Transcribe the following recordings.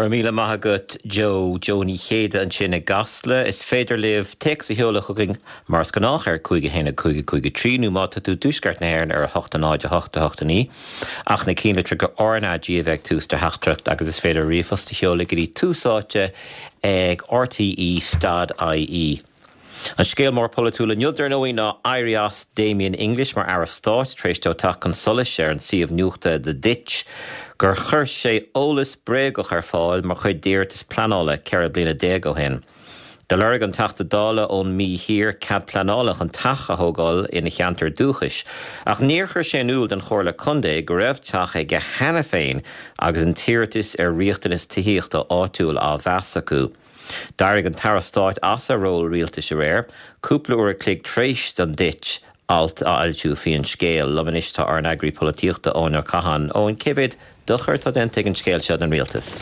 Go raibh míle maith agat Joe. Joe Ní Chéide ansin i gCasla. Is féidir libh téacs a sheoladh chugainn mar is gnách ar 5 1 5 5 3 nó má tá tú i dtuaisceart na hÉireann ar 8 0 8 8 9 ach na cinnlitreacha RnaG a bheith ag tús do theachtaireacht agus is féidir ríomhphost a sheoladh go dtí Tús Áite ag rte stad ie. An scéal mór polaitiúil inniu, dar ndóigh, ná éirí as Damien English mar Aire Stáit tar éis dó teacht chun solais ar an suíomh nuachta The Ditch gur chuir sé eolas bréagach ar fáil mar chuid d'iarratas pleanála 14 bliana ó shin. Do lorg an Teachta Dála ón Mí Thiar cead pleanála chun teach a thógáil ina cheantar dúchais ach níor chuir sé in iúl don Chomhairle Contae go raibh teach aige cheana féin agus an t-iarratas ar riachtanas tithíochta áitiúil á mheas acu. D'éirigh an tAire Stáit as a ról rialtais aréir, cúpla uair a chloig tar éis don Ditch alt a fhoilsiú faoin scéal. Liom anois tá ár n-eagraí polaitíochta, Eoin Ó Catháin. Eoin, cé mhéad dochar atá déanta ag an scéal seo don rialtas?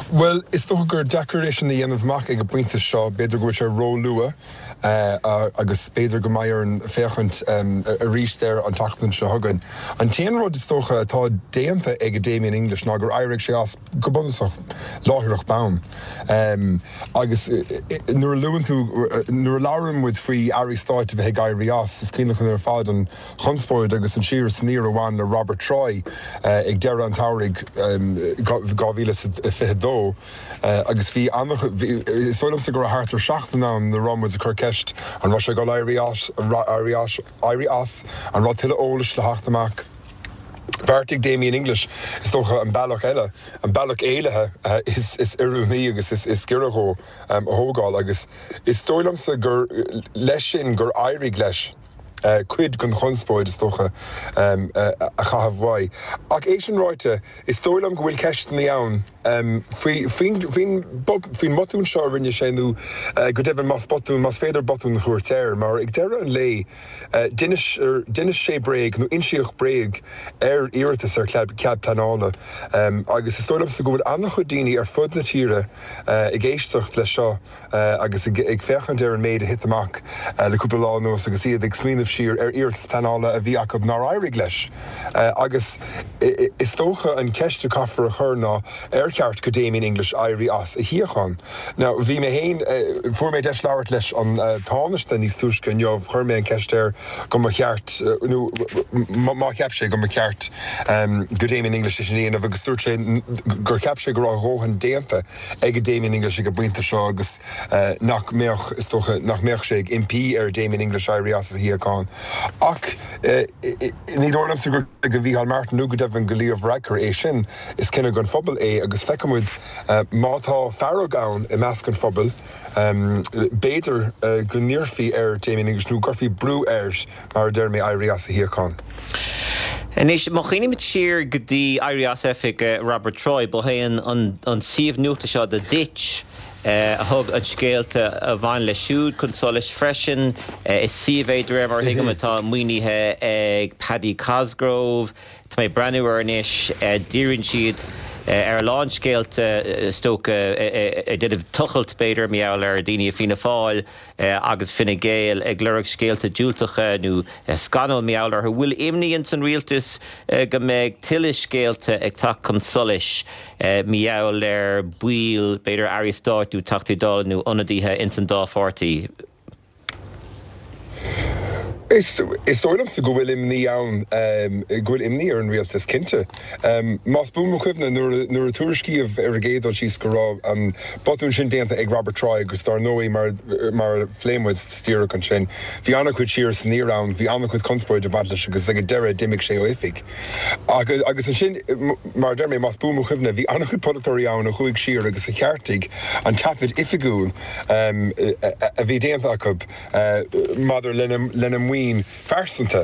Bhuel, is dócha gur deacair é sin a dhéanamh amach ag an bpointe seo. B'fhéidir go bhfuil sé ró-luath agus b'fhéidir go mbeidh orainn féachaint arís air an tseachtain seo chugainn. An t-aon rud is dócha atá déanta ag Damien English ná gur éirigh sé as. go bunúsach, láithreach bonn. Agus nuair a luann tú, nuair a labhrann muid faoi airí stáit a bheith ag éirí as, is cuimhin linn ar fad an chonspóid agus an siar is aniar a bhain le Robert Troy ag deireadh an tsamhraidh 2022 agus bhí an, is dóigh liomsa go raibh thart ar seachtain ann nuair a raibh muid ag cur ceist an raibh sé ag dul éirí as, éirí as, an raibh tuilleadh eolais le theacht amach. Bheartaigh Damien English, is dócha, an bealach eile, an bealach éalaithe is oiriúnaí agus is giorra dhó a thógáil agus is dóigh liomsa gur leis sin gur éirigh leis cuid den chonspóid, is dócha, a chaitheamh uaidh. Ach é sin ráite, is dóigh liom go bhfuil ceisteanna ann faoin bhotún seo a rinne sé nó go deimhin más botún, más féidir botún a thabhairt air, mar ag deireadh an lae, D'inis sé bréag, nó insíodh bréag, ar iarratas ar chead pleanála agus is dóigh liomsa go bhfuil an-chuid daoine ar fud na tíre ag éisteacht leis seo agus ag féachaint ar an méid a thit amach le cúpla lá anuas agus iad ag smaoineamh siar ar iarratas pleanála a bhí acu nár éirigh leis. Agus is dócha an cheist a chaithfear a chur ná ar cheart go Damien English éirí as a shuíochán? Now, bhí mé féin, fuair mé deis labhairt leis an Tánaiste níos túisce inniu, chuir mé an ceist air go mba cheart, nó má cheap sé go mba cheart go Damien English é sin a dhéanamh agus dúirt sé gur cheap sé go raibh a dhóthain déanta ag Damien English ag an bpointe seo agus nach mbeadh, is dócha, nach mbeadh sé ag impí ar Damien English éirí as a shuíochán. Ach ní dóigh liomsa gur go Mhícheál Martin nó go deimhin go Leo Varadkar é sin, is cinneadh don phobal é agus feicfidh muid Má tá fearg ann i measc an phobail, b'fhéidir go n-iarrfaí ar Damien English, nó go gcuirfí brú air, mar a deir mé, éirí as a shuíochán. Anois, má chuimhnímid siar go dtí éirí as oifig Robert Troy, ba é an suíomh nuachta seo The Ditch a thug an scéalta a bhain leis siúd chun solais freisin. Is suíomh é, de réir mar a thuigim, atá maoinithe ag Paddy Cosgrave. Tá mé ag breathnú air anois. Díríonn siad ar a lán scéalta, is dócha, ag déanamh tochailt, b'fhéidir, mar gheall ar dhaoine i Fianna Fáil agus Fine Gael ag lorg scéalta diúltacha nó scannail mar gheall orthu. Bhfuil imní ins an rialtas go mbeidh tuilleadh scéalta ag teacht chun solais mar gheall ar baill, b'fhéidir, airí stáit nó Teachtaí Dála nó ionadaithe ins an dá pháirtí? Is dóigh liomsa go bhfuil imní ann, go bhfuil imní ar an rialtas, cinnte. Más buan mo chuimhne, nuair a tuairiscíodh ar an gcéad dul síos go raibh an botún sin déanta ag Robert Troy agus dar ndóigh mar a phléigh muid díreach ansin, bhí an-chuid siar is aniar ann, bhí an-chuid conspóide ag baint leis agus ag an deireadh d'imigh sé ó oifig. Agus ansin, mar a deir mé, más buan mo chuimhne, bhí an-chuid polaiteoirí ann a chuaigh siar agus a cheartaigh an taifead oifigiúil a bhí déanta acu maidir lena maoin phearsanta.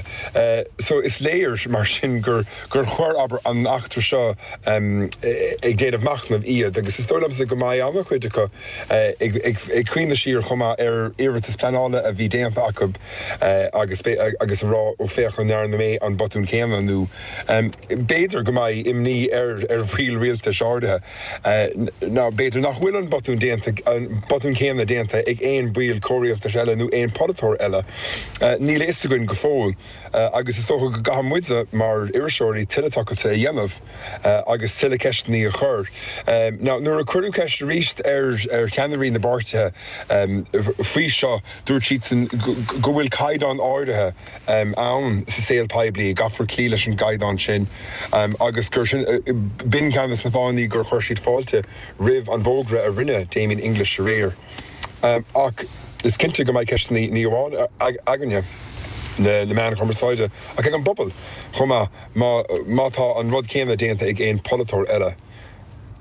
So is léir mar sin gur chuir, abair, an eachtra seo ag déanamh machnaimh iad agus is dóigh liomsa go mbeidh an-chuid acu ag cuimhneamh siar chomh maith ar iarratas pleanála a bhí déanta acu agus agus a rá ó féach an ndearna mé an botún céanna nó b'fhéidir go mbeidh imní ar ar bhaill rialtais áirithe. Nó b'fhéidir nach bhfuil an botún déanta, an botún céanna déanta ag aon bhaill comhrialtais eile nó aon pholaiteoir eile. Níl. a fhios againn go fóill agus is dócha go gcaithfidh muide mar iriseoirí tuilleadh tochailte a dhéanamh agus tuilleadh ceisteanna a chur. Now nuair a cuireadh ceist arís ar cheannairí na bpáirtithe faoi seo, dúirt siadsan go bhfuil caighdeán áirithe ann sa saol poiblí, gcaithfear cloí leis an gcaighdeán sin agus gur sin, b'in ceann de na fáthanna gur chuir siad fáilte roimh an bhfógra a rinne Damien English aréir. Ach is cinnte go mbeidh ceisteanna ní amháin againne, na meáin chumarsáide, ach ag an bpobal chomh maith má tá an rud céanna déanta ag aon pholaiteoir eile.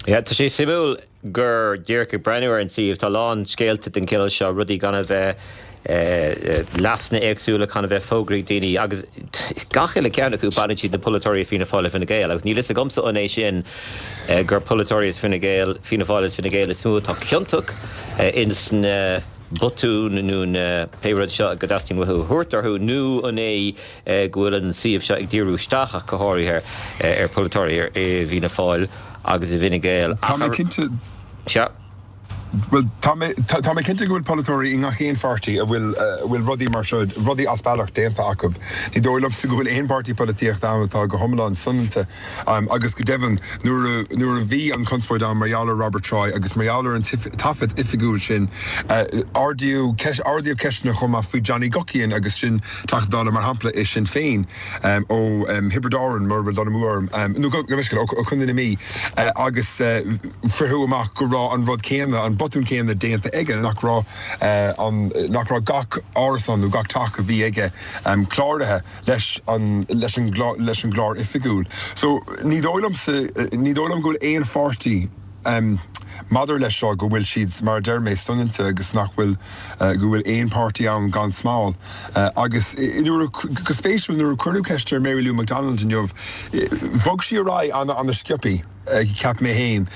Yeah, tá sé suimiúil gur díreach ag breathnú ar an suíomh, tá a lán scéalta den chineál seo, rudaí gan a bheith, leasanna éagsúla gan a bheith fógraithe ag daoine agus gach uile ceann acu baineann siad le polaiteoirí i Fianna Fáil i Fine Gael agus níl fhios agamsa an é sin gur polaiteoirí as Fine Gael, Fianna Fáil is Fine Gael is mó atá ciontach ins na botúin nó na pé rud seo go dteastaíonn uathu a thabhairt orthu nó an é go bhfuil an suíomh seo ag díriú isteach ach go háirithe ar pholaiteoirí i bhFianna Fáil agus i bhFine Gael. Tá mé cinnte. Sea. Bhuel, tá mé, tá mé cinnte go bhfuil polaiteoirí i ngach aon pháirtí a bhfuil, a bhfuil rudaí mar seo, rudaí as bealach déanta acu. Ní dóigh liomsa go bhfuil aon pháirtí polaitíochta ann atá go hiomlán soineanta. Agus go deimhin, nuair a, nuair a bhí an chonspóid ann mar gheall ar Robert Troy agus mar gheall ar an taifead oifigiúil sin, ardaíodh ceist, ardaíodh ceisteanna chomh maith faoi Johnny Guckian agus sin Teachta Dála mar shampla i Sinn Féin ó Thiobraid Árann, mura bhfuil dul amú orm, nó gabh mo leithscéal, ó Chontae na Mí agus. Fritheadh amach go raibh an rud céanna, an botún céanna déanta aige, nach raibh an, nach raibh gach árasán nó gach teach a bhí aige cláraithe leis an, leis an, leis an gclár oifigiúil. So, ní dóigh liomsa, ní dóigh liom go bhfuil aon pháirtí maidir leis seo go bhfuil siad, mar a deir mé, soineanta agus nach bhfuil, go bhfuil aon pháirtí ann gan smál. Agus nuair a, go spéisiúil, nuair a cuireadh ceist ar Mary Lou McDonald inniu, bhog sí ar aghaidh an-an-sciobthaí. Cheap mé féin.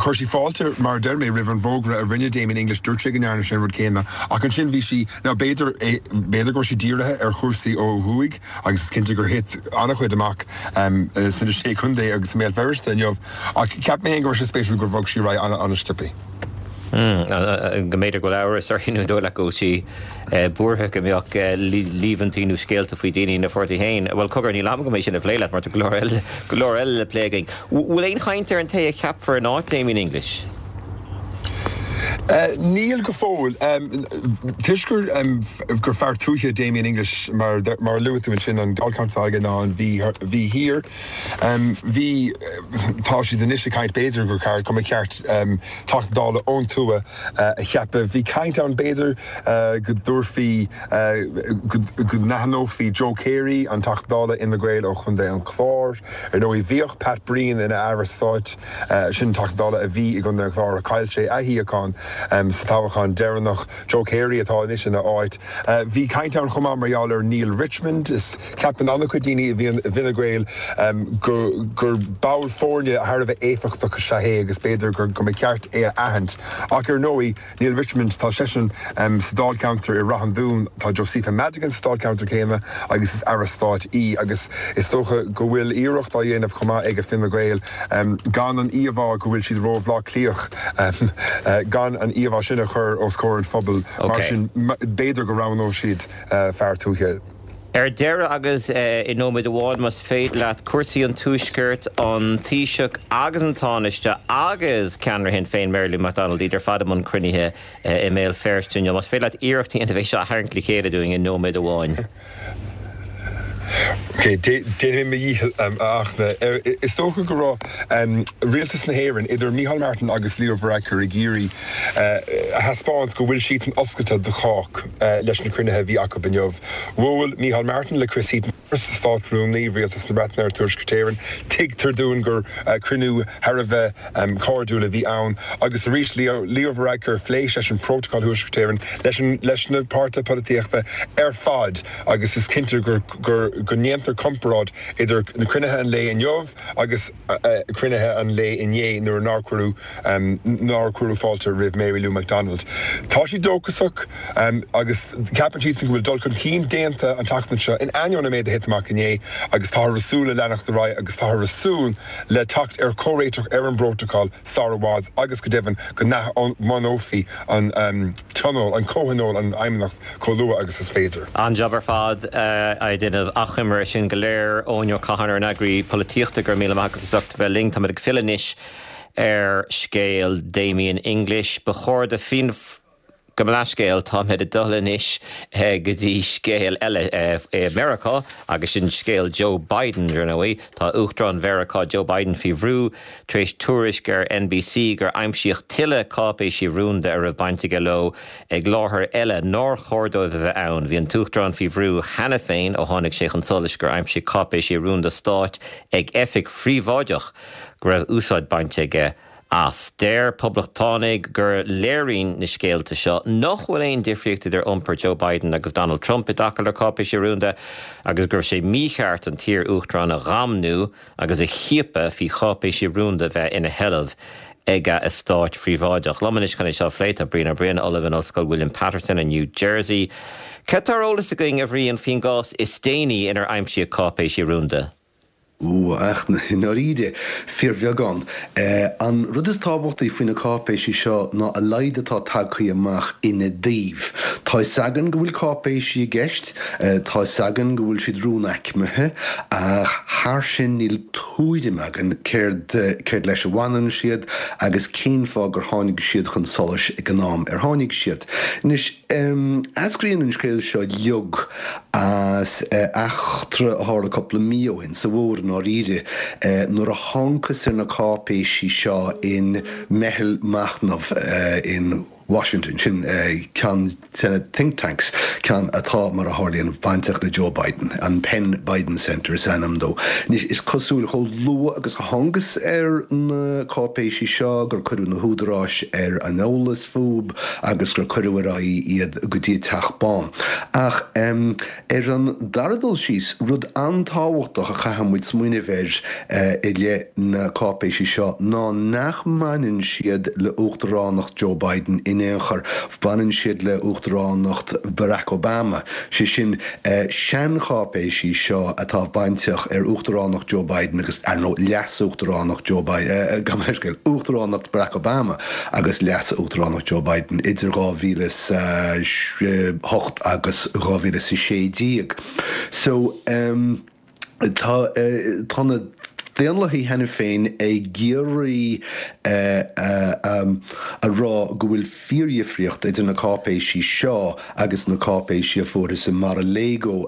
Chuir sí fáilte, mar a deir mé, roimh an bhfógra a rinne Damien English. Dúirt sé go ndearna sé an rud céanna. Ach ansin bhí sí, now b'fhéidir, b'fhéidir go raibh sí dírithe ar chúrsaí ó thuaidh agus is cinnte gur thit an-chuid amach sna Sé Chontae agus i mBéal Feirste inniu. Ach cheap mé féin go raibh sé spéisiúil gur bhog sí ar aghaidh an-sciobthaí. Go mb'fhéidir go bhfuil amhras uirthi nó an dóigh leat go bhfuil sí buartha go mbeadh líomhaintí nó scéalta faoi daoine ina pháirtí féin. Bhuel, cogar, níl am agam é sin a phlé leat mar tá go leor eile, go leor eile le plé againn. Bhfuil aon chaint ar an té a cheapfar in áit Damien English? Níl go fóill. Toisc gur gur fear tuaithe Damien English, mar mar a luaigh tú ansin, an dáilcheantar atá aige ná an Mhí Mhí Thiar. Bhí, tá siad anois ag caint b'fhéidir gur ceart, go mba cheart Teachta Dála ón tuath a cheapadh. Bhí caint ann b'fhéidir go dtabharfaí, go n-aithneofaí Joe Carey, an Teachta Dála Fhine Gael ó Chontae an Chláir. Ar ndóigh bhíodh Pat Breen ina Aire Stáit, sin Teachta Dála a bhí i gContae an Chláir ach chaill sé a shuíochán sa toghchán deireanach. Joe Carey atá anois ina áit. Bhí caint ann chomh maith mar gheall ar Neale Richmond. Is ceapann an-chuid daoine i bhFine Gael go gur ball foirne thar a bheith éifeachtach is ea é agus b'fhéidir go mba cheart é a aithint. Ach ar ndóigh, Neale Richmond, tá seisean sa dáilcheantar i Rath an Dúin, tá Josepha Madigan sa dáilcheantar céanna agus is Aire Stáit í agus is dócha go bhfuil iarracht á dhéanamh chomh maith ag Fine Gael gan an íomhá go bhfuil siad ró-Bhaile Átha Cliathach, gan an íomhá sin a chur os comhair an phobail. Mar sin, b'fhéidir go roghnóidh siad fear tuaithe. Ar deireadh, agus i nóiméad amháin más féidir leat, cúrsaí an Tuaiscirt, an Taoiseach agus an Tánaiste agus ceannaire Shinn Féin Mary Lou McDonald, iad ar fad i mbun cruinnithe i mBéal Feirste inniu. Más féidir leat iarracht a dhéanamh é seo a tharraingt le chéile dúinn i nóiméad amháin. Ok, déanfaidh mé mo dhícheall, a Fhachtna. Is dócha go raibh Rialtas na hÉireann, idir Micheál Martin agus Leo Varadkar, ag iarraidh a thaispeáint go bhfuil siadsan oscailte do chách leis na cruinnithe a bhí acu inniu. Bhuail Micheál Martin le Chris Heaton-Harris, Státrúnaí Rialtas na Breataine ar Tuaisceart Éireann. Tuigtear dúinn gur cruinniú thar a bheith cairdiúil a bhí ann. Agus arís, Leo Varadkar, phléigh seisean Prótacal Thuaisceart Éireann leis na páirtithe polaitíochta ar fad agus is cinnte gur go ndéantar. deacair comparáid idir na cruinnithe an lae inniu agus cruinnithe an lae inné nuair nár cuireadh nár cuireadh fáilte roimh Mary Lou McDonald. Tá siad dóchasach agus ceapann siadsan go bhfuil dul chun cinn déanta an tseachtain seo in ainneoin an méid a thit amach inné agus táthar ag súil le leanacht ar aghaidh agus táthar ag súil le teacht ar chomhréiteach ar an bprótacal sara i bhfad agus go deimhin go n-athbhunófaí an tionól, an comhthionól, an Fheidhmeannacht chomh luath agus is féidir. An-jab ar fad á dhéanamh achoimre air sin go léir. Eoin Ó Catháin ár n-eagraí polaitíochta, go raibh míle maith agat as ucht a bheith linn. Táimid ag filleadh anois ar scéal Damien English. Ba chóir do Fianna Gabh mo leithscéal, táimid ag dul anois go dtí scéal eile i Meiriceá agus sin scéal Joe Biden, ar ndóigh. Tá Uachtarán Mheiriceá Joe Biden faoi bhrú tar éis tuairisc ar NBC gur aimsíodh tuilleadh cáipéisí rúnda a raibh baint aige leo ag láthair eile nár chóir dóibh a bheith ann. Bhí an tUachtarán faoi bhrú cheana féin ó tháinig sé chun solais gur aimsíodh cáipéisí rúnda stáit ag oifig phríobháideach go raibh úsáid bainte aige as. Deir Poblachtánaigh gur léiríonn na scéalta seo nach bhfuil aon difríocht idir iompar Joe Biden agus Donald Trump i dtaca le cáipéisí rúnda agus go raibh sé mícheart an t-iar-uachtarán a dhamnú agus a chiapadh faoi cháipéisí rúnda bheith ina sheilbh ag a eastát phríobháideach. Liom anois chun é seo a phlé tá Brian Ó Briain, Ollamh in Ollscoil William Paterson i New Jersey. Cad tá ar eolas againn, a Bhriain, faoin gcás is déanaí inar aimsíodh cáipéisí rúnda? Ó, ach i ndáiríre, fíorbheagán. An rud is tábhachtaí faoi na cáipéisí seo ná a laghad atá tagtha amach ina dtaobh. Tá 'fhios againn go bhfuil cáipéisí i gceist, tá 'fhios againn go bhfuil siad rúnaicmithe, ach thar sin níl tuairim againn céard céard leis a bhaineann siad agus cén fáth gur tháinig siad chun solais ag an am ar tháinig siad. Anois, eascraíonn an scéal seo uilig as eachtra a tharla cúpla mí ó shin, sa bhfómhar i ndáiríre, nuair a thángthas ar na cáipéisí seo in meitheal machnaimh in Washington, sin ceann de na think tanks, ceann atá, mar a tharlaíonn, bainteach le Joe Biden, an Penn Biden Center is ainm dó. Anois, is cosúil, chomh luath agus a thángthas ar na cáipéisí seo, gur cuireadh na húdaráis ar an eolas fúb agus gur cuireadh ar aghaidh iad go dtí an Teach Bán. Ach ar an dara dul síos, rud an-tábhachtach a chaithfidh muid smaoineamh air i leith na cáipéisí seo ná nach mbaineann siad le uachtaránacht Joe Biden in aon chor, baineann siad le uachtaránacht Barack Obama, sé sin, seancháipéisí seo atá bainteach ar uachtaránacht Joe Biden agus, ar ndóigh, leas-uachtaránacht Joe Biden, gabh mo leithscéal, uachtaránacht Barack Obama agus leas-uachtaránacht Joe Biden idir 2008 agus 2016. So, tá, tá na Daonlathaigh cheana féin ag iarraidh a rá go bhfuil fíordhifríocht idir na cáipéisí seo agus na cáipéisí a fuarthas i Mar-a-Lago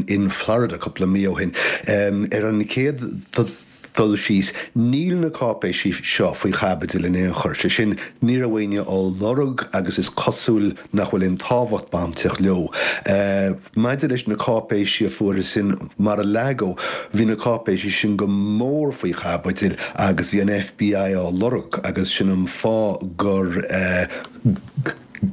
in Florida cúpla mí ó shin. Ar an chéad dul síos, níl na cáipéisí seo faoi chaibidil in aon chor, sé sin, ní raibh éinne á lorg agus is cosúil nach bhfuil aon tábhacht bainteach leo. Maidir leis na cáipéisí a fuarthas in Mar-a-Lago, bhí na cáipéisí sin go mór faoi chaibidil agus bhí an FBI á lorg agus sin an fáth gur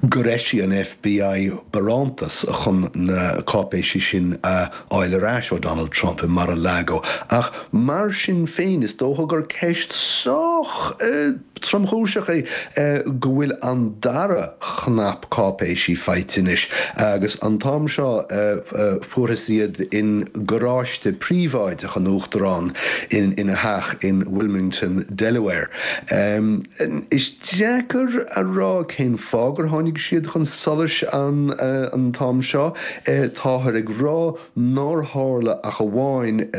gur eisigh an FBI barántas chun na cáipéisí sin a fháil ar ais ó Donald Trump i Mar-a-Lago. Ach mar sin féin, is dócha gur ceist sách tromchúiseach é go bhfuil an dara chnap cáipéisí faighte anois agus an t-am seo fuarthas iad in garáiste príobháideach an Uachtaráin ina theach in Wilmington, Delaware. Is deacair a rá cén fáth gur tháinig siad chun solais an t-am seo. Táthar ag rá nár tharla ach amháin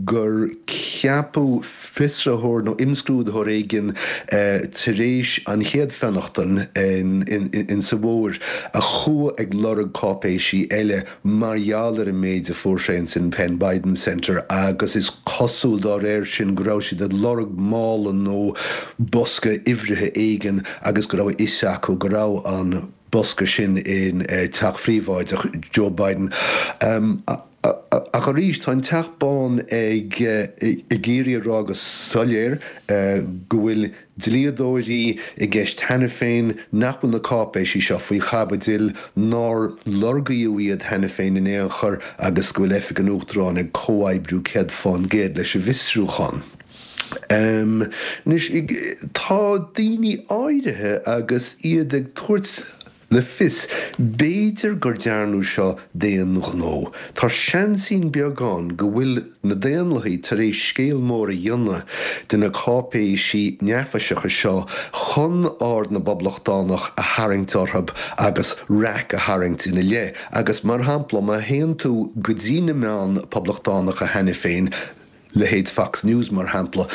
gur ceapadh fiosraitheoir nó imscrúdaitheoir éigin tar éis an chéad fionnachtain in sa bhfómhar a chuaigh ag lorg cáipéisí eile mar gheall ar an méid a fuair sé ins an Penn Biden Center agus is cosúil dá réir sin go raibh siad ag lorg mála nó bosca uimhrithe éigin agus go raibh a fhios acu go raibh an bosca sin in teach phríobháideach Joe Biden. Ach arís, tá an Teach Bán ag iarraidh a rá go soiléir go bhfuil dlíodóirí i gceist cheana féin, nach bhfuil na cáipéisí seo faoi chaibidil, nár lorgaíodh iad cheana féin in aon chor agus go bhfuil Oifig an Uachtaráin ag comhoibriú 100% leis an bhfiosrúchán. Anois, tá daoine áirithe agus iad ag tabhairt le fios, b'fhéidir gur dearnadh seo d'aon ghnó. Tá seansín beag ann go bhfuil na Daonlathaigh tar éis scéal mór a dhéanamh de na cáipéisí neafaiseacha seo chun aird na bPoblachtánach a tharraingt orthu agus raic a tharraingt ina leith. Agus mar shampla, má théann tú go dtí na meáin Poblachtánacha cheana féin, leithéid Fox News mar shampla,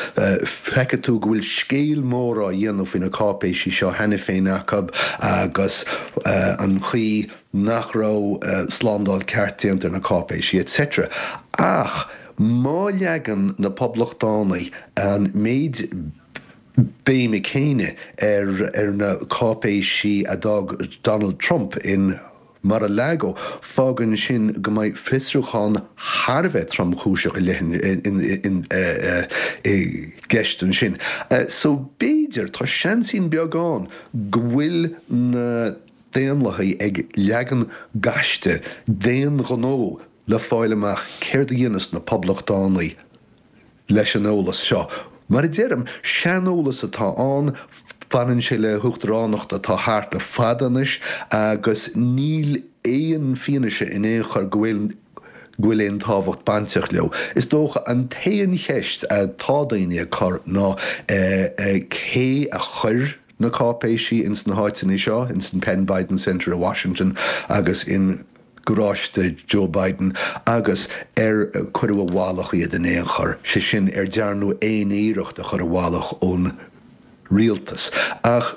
feicfidh tú go bhfuil scéal mór á dhéanamh faoi na cáipéisí seo cheana féin acu agus an chaoi nach raibh slándáil ceart déanta ar na cáipéisí etc. Ach má leagann na Poblachtánaigh an méid béime céanna ar na cáipéisí a d'fhág Donald Trump in Mar-a-Lago, fágann sin go mbeidh fiosrúchán thar a bheith tromchúiseach i i gceist ansin. So b'fhéidir, tá seansín beag ann go bhfuil na Daonlathaigh ag leagan gaiste d'aon ghnó le fáil amach céard a dhéanfas na Poblachtánaigh leis an eolas seo. Mar a deirim, seaneolas atá ann, baineann sé le huachtaránacht atá thart le fada anois agus níl aon fianaise in aon chor go bhfuil go bhfuil aon tábhacht bainteach leo. Is dócha an t-aon cheist atá daoine ag cur ná cé a chuir na cáipéisí ins na háiteanna seo, ins an Penn Biden Center i Washington agus in garáiste Joe Biden agus ar cuireadh i bhfolach iad in aon chor, sé sin, ar dearnadh aon iarracht a chur i bhfolach ón rialtas. Ach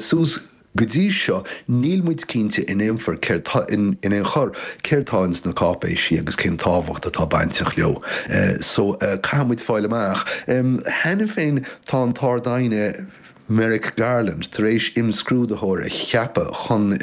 suas go dtí seo níl muid cinnte in aon chor céard tá in aon chor céard tá ins na cáipéisí agus cén tábhacht atá bainteach leo. So caithfidh muid fáil amach. Cheana féin tá an tArd-Aighne Merrick Garland tar éis imscrúdaitheoir a cheapadh chun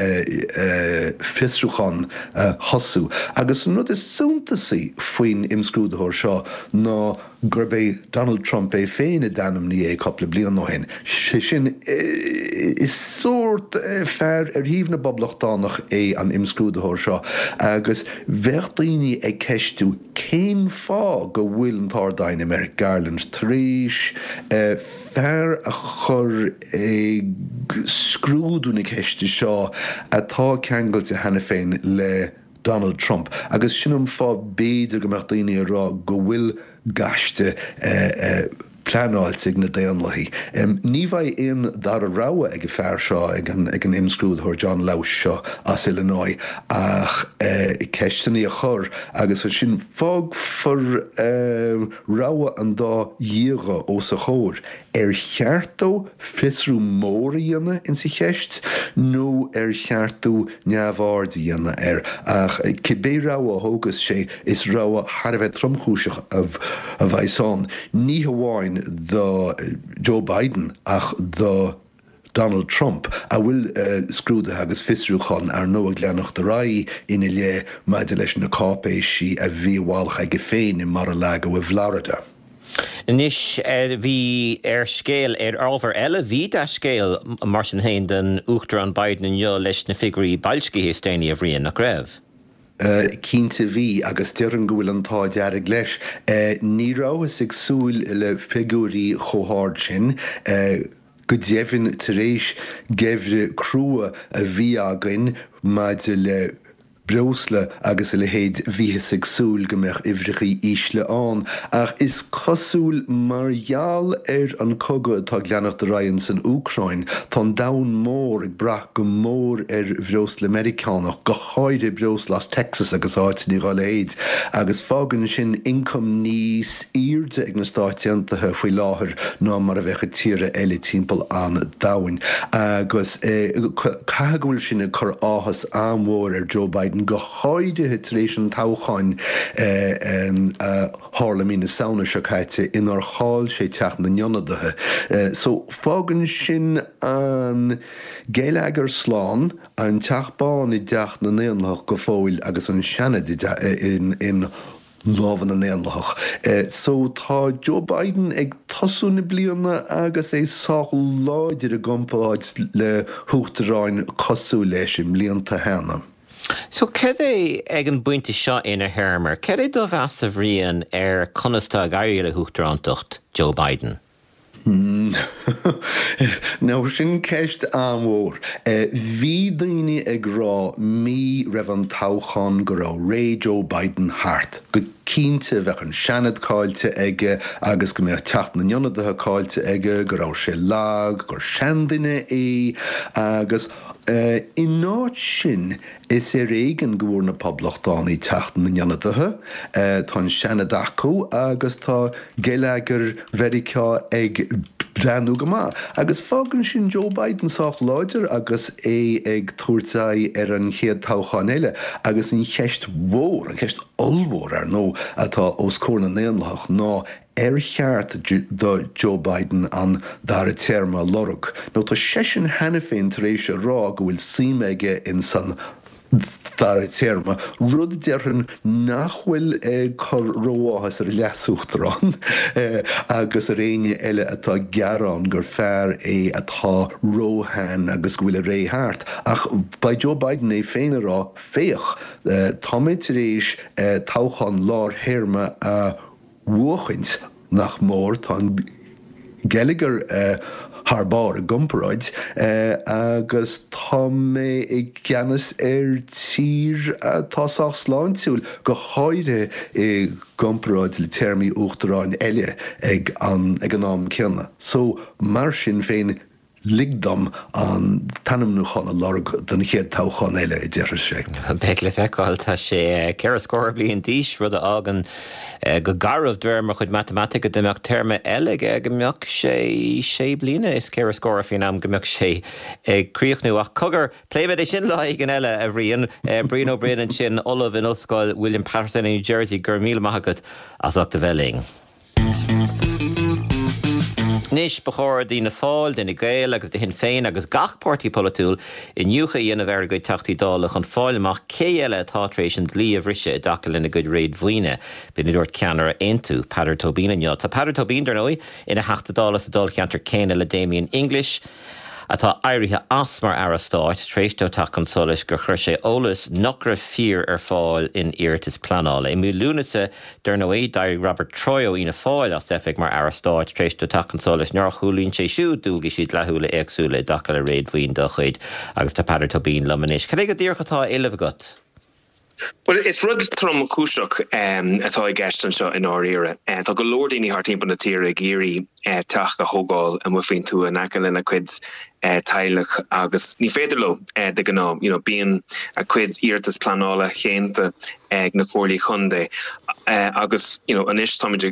fiosrúchán a thosú agus an rud is suntasaí faoin imscrúdaitheoir seo ná gurb é Donald Trump é féin a d'ainmnigh é cúpla bliain ó shin. Sé sin, is sórt fear ar thaobh na bPoblachtánach é an imscrúdaitheoir seo agus bheadh daoine ag ceistiú cén fáth go bhfuil an tArd-Aighne Merrick Garland tar éis fear a chur ag scrúdú na ceiste seo atá ceangailte cheana féin le Donald Trump agus sin an fáth b'fhéidir go mbeadh daoine ag rá go bhfuil gaiste pleanáilte ag na Daonlathaigh. Ní bheidh aon dara rogha ag an fear seo, ag an imscrúdaitheoir John Lausch seo as Illinois ach ceisteanna a chur agus ansin fágfar rogha an dá dhíogha os a chomhair, ar cheart dó fiosrú mór a dhéanamh insa cheist nó ar cheart dó neamhaird a dhéanamh air? Ach cibé rogha a thógas sé, is rogha thar a bheith tromchúiseach a bheas ann, ní hamháin do Joe Biden ach do Donald Trump, a bhfuil scrúduithe agus fiosrúcháin, ar ndóigh, ag leanacht ar aghaidh ina leith maidir leis na cáipéisí a bhí i bhfolach aige féin i Mar-a-Lago i bhFlorida. Anois, bhí ar scéal, ar ábhar eile, bhí dea-scéal mar sin féin don Uachtarán Biden inniu leis na figiúirí boilscithe is déanaí, a Bhriain, nach raibh? Cinnte bhí, agus déarfainn go bhfuil an t-ádh dearg leis. Ní rabhthas ag súil le figiúirí chomh hard sin. Go deimhin, tar éis geimhreadh crua a bhí againn maidir le breosla agus a leithéid, bhíothas ag súil go mbeadh uimhreachaí ísle ann. Ach is cosúil, mar gheall ar an cogadh atá ag leanacht ar aghaidh ins an Úcráin, tá an domhan mór ag brath go mór ar bhreosla Meiriceánach, go háirithe breosla as Texas agus áiteanna dhá leithéid, agus fágann sin ioncam níos airde ag na Stáit Aontaithe faoi láthair ná mar a bheadh ag tíortha eile timpeall an domhain. Agus caithfidh go bhfuil sin ag cur áthas an-mhór ar Joe Biden. Biden, go háirithe tar éis an toghcháin a tharla mí na Samhna seo caite inar chaill sé Teach na nIonadaithe. So fágann sin an geilleagar slán, an Teach Bán i dteach na nDaonlathach go fóill agus an Seanad in lámha na nDaonlathach. So tá Joe Biden ag tosú na bliana agus é sách láidir i gcomparáid le huachtaráin cosúil leis i mblianta cheana. So cad é, ag an bpointe seo ina théarma, cad é do mheas a Bhriain ar conas tá ag éirí le huachtarántacht Joe Biden? Now sin ceist an-mhór. Bhí daoine ag rá mí roimh an toghchán go raibh ré Joe Biden thart, go cinnte bheadh an Seanad caillte aige agus go mbeadh Teach na nIonadaithe caillte aige, go raibh sé lag, gur seanduine é agus in áit sin is ar éigean go bhfuair na Poblachtánaigh Teach na nIonadaithe, tá an Seanad acu agus tá geilleagar Mheiriceá ag breathnú go maith. Agus fágann sin Joe Biden sách láidir agus é ag tabhairt aghaidh ar an chéad toghchán eile. Agus an cheist mhór, an cheist ollmhór, ar ndóigh, atá os comhair na nDaonlathach ná ar cheart do Joe Biden an dara téarma a lorg, nó tá seisean cheana féin tar éis a rá go bhfuil suim aige ins an dara téarma, rud déarfainn nach bhfuil ag cur ró-áthas ar a leasuachtarán agus ar éinne eile atá ag gearán gur fear é atá róshean agus go bhfuil a ré thart. Ach beidh Joe Biden é féin ag rá, féach, tá mé tar éis toghchán lár-théarma a bhuachaint, nach mór, tá an geilleagar thar barr i gcomparáid agus tá mé i gceannas ar tír atá sách sláintiúil, go háirithe i gcomparáid le téarmaí uachtaráin eile ag an am céanna. So, mar sin féin, Lig dom an t-ainmniúchán a lorg don chéad toghchán eile, a déarfas sé. Beidh le feiceáil. Tá sé 4 scór bliain d'aois, rud a fhágann go garbh, de réir mo chuid matamaitice, dá mbeadh téarma eile aige, go mbeadh sé sé bliana is 4 scór faoin am go mbeadh sé ag críochnú. Ach cogar, pléifimid é sin lá éigin eile, a Bhriain. Brian Ó Broin ansin, Ollamh in Ollscoil William Paterson i New Jersey, go raibh míle maith agat as ucht a bheith linn. Anois, ba chóir d'Fhianna Fáil, d'Fhine Gael agus do Shinn Féin agus gach páirtí polaitiúil iniúchadh a dhéanamh ar a gcuid Teachtaí Dála chun fáil amach cé eile atá tar éis an dlí a bhriseadh i dtaca lena gcuid réadmhaoine. B'in a dúirt ceannaire Aontú, Peadar Tóibín inniu. Tá Peadar Tóibín, dar ndóigh, ina Theachta Dála sa dáilcheantar céanna le Damien English, atá éirithe as mar Aire Stáit tar éis dó teacht chun solais gur chuir sé eolas nach raibh fíor ar fáil in iarratas pleanála. I mí Lúnasa, dar ndóigh, d'éirigh Robert Troy ó Fhianna Fáil as oifig mar Aire Stáit tar éis dó teacht chun solais nár chomhlíon sé siúd dualgaisí dleathúla éagsúla i dtaca le réadmhaoin dá chuid. Agus tá Peadar Tóibín liom anois. Cad é go díreach atá á éileamh agat? Bhuel, is rud tromchúiseach atá i gceist anseo i ndáiríre. Tá go leor daoine thart timpeall na tíre ag iarraidh teach a thógáil amuigh faoin tuath in aice lena gcuid teaghlach agus ní féidir leo de ghnáth. You know, bíonn a gcuid iarratas pleanála déanta ag na comhairlí chontae agus you know, anois táimid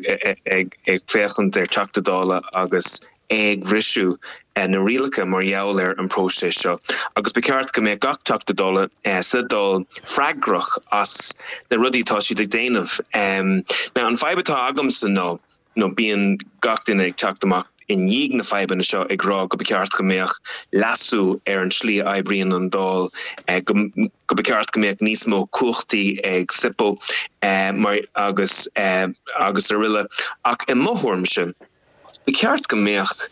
ag féachaint ar Teachta Dála agus é ag bhriseadh na rialacha mar gheall ar an bpróiseas seo agus ba cheart go mbeadh gach Teachta Dála sa Dáil freagrach as na rudaí atá siad ag déanamh. Now an fadhb atá agamsa ná nó bíonn gach duine ag teacht amach i ndiaidh na fadhbanna seo ag rá go ba cheart go mbeadh leasú ar an tslí a oibríonn an Dáil, go go ba cheart go mbeadh níos mó cumhachtaí ag SIPO mar agus agus araile ach i mo thuairimse, Ba cheart go mbeadh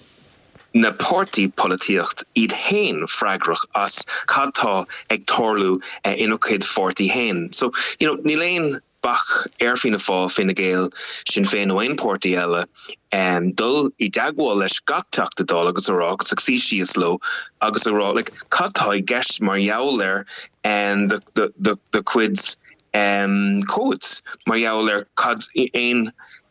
na páirtí polaitíocht iad fhéin freagrach as cad tá ag tarlú ina gcuid pháirtí fhéin. So, you know, níl aon bac ar Fianna Fáil, Fine Gael, Sinn Féin nó aon páirtí eile dul i dteagmháil leis gach Teachta Dála agus a rá, agus ag suí síos leo agus a rá, like, cad tá i gceist mar gheall ar do chuid comhaid, mar gheall ar cad aon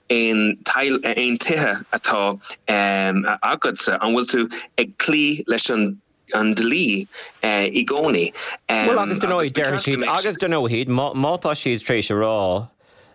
aon aon tithe atá agatsa, an bhfuil tú ag cloí leis an an dlí i gcónaí? Bhuel, agus dar ndóigh, déarfaidh siad, agus dar ndóigh, má tá siad tar éis a rá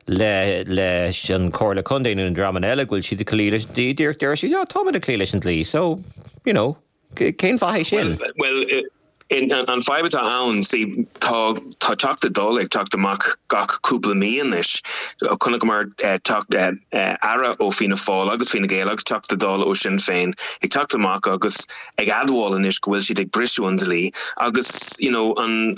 le leis an Chomhairle Contae nó na dreamanna eile go bhfuil siad ag cloí leis an dlí, díreach déarfaidh siad, yeah, táimid ag cloí leis an dlí, so, you know. Cén fath é sin? Bhuel, An fadhb atá ann, see, tá tá Teachta Dála ag teacht amach gach cúpla mí anois. Chonaiceamar teacht Aire ó Fianna Fáil agus Fine Gael agus Teachta Dála ó Sinn Féin ag teacht amach agus ag admháil anois go bhfuil siad ag briseadh an dlí agus you know an